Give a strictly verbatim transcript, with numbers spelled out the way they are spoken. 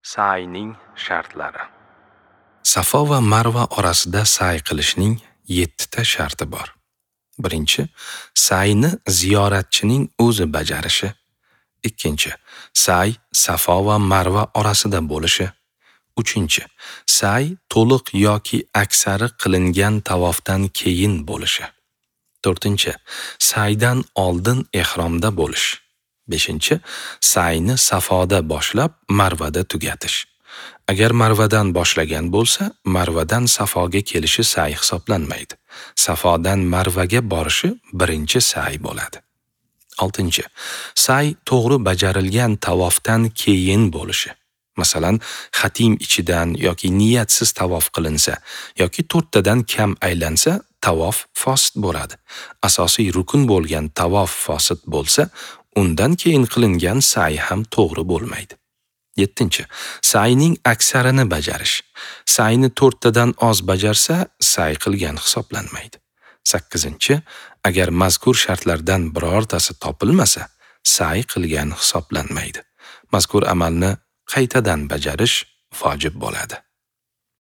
Sa'yning shartlari. Safo va Marva orasida sa'y qilishning yettita sharti bor. Birinchi, sa'yni ziyoratchining o'zi bajarishi. Ikkinchi, sa'y Safo va Marva orasida bo'lishi. Uchinchi, sa'y to'liq yoki aksari qilingan tavofdan keyin bo'lishi. To'rtinchi, sa'ydan oldin ehromda bo'lish. Beshinchi, sa'yni Safoda boshlab Marvada tugatish. Agar Marvadan boshlagan bo'lsa, Marvadan Safoga kelishi sa'y hisoblanmaydi. Safodan Marvaga borishi birinchi sa'y bo'ladi. Oltinchi, sa'y to'g'ri bajarilgan tavofdan keyin bo'lishi. Masalan, xatim ichidan yoki niyatsiz tavof qilinsa yoki to'rttadan kam aylansa, tavof fosid bo'ladi. Asosiy rukun bo'lgan tavof fosid bo'lsa, undan keyin qilingan sa'y ham to'g'ri bo'lmaydi. Yettinchi, sa'yning aksarini bajarish. Sa'yni to'rttadan oz bajarsa, sa'y qilgan hisoblanmaydi. Sakkizinchi, agar mazkur shartlardan birortasi topilmasa, sa'y qilgan hisoblanmaydi. Mazkur amalni qaytadan bajarish vojib bo'ladi.